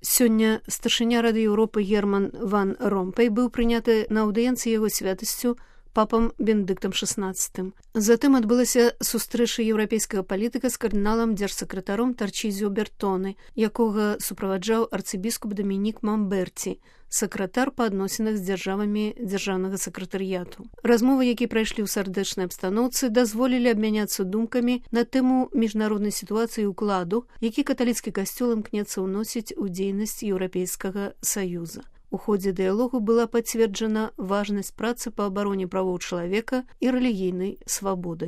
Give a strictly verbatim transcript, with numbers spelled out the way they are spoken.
Сёння старшыня Рады Еўропы Герман ван Ромпей быў прыняты на аўдыенцыі яго святасцю папам Бенедыктам шаснаццатым. Затым адбылася сустрэча еўрапейскага палітыка з кардыналам дзяржсакратаром Тарчізіо Бертоны, якога суправаджаў арцыбіскуп Дамінік Мамберці, сакратар па адносінах з дзяржавамі дзяржаўнага сакратарыяту. Размовы, якія прайшлі ў сардэчнай абстаноўцы, дазволілі абмяняцца думкамі на тэму міжнароднай сітуацыі і ўкладу, які каталіцкі касцёл імкнецца ўносіць у дзейнасць Еўрапейскага саюза. У ходзе дыялогу была пацверджана важнасць працы па абароне правоў чалавека і рэлігійнай свабоды.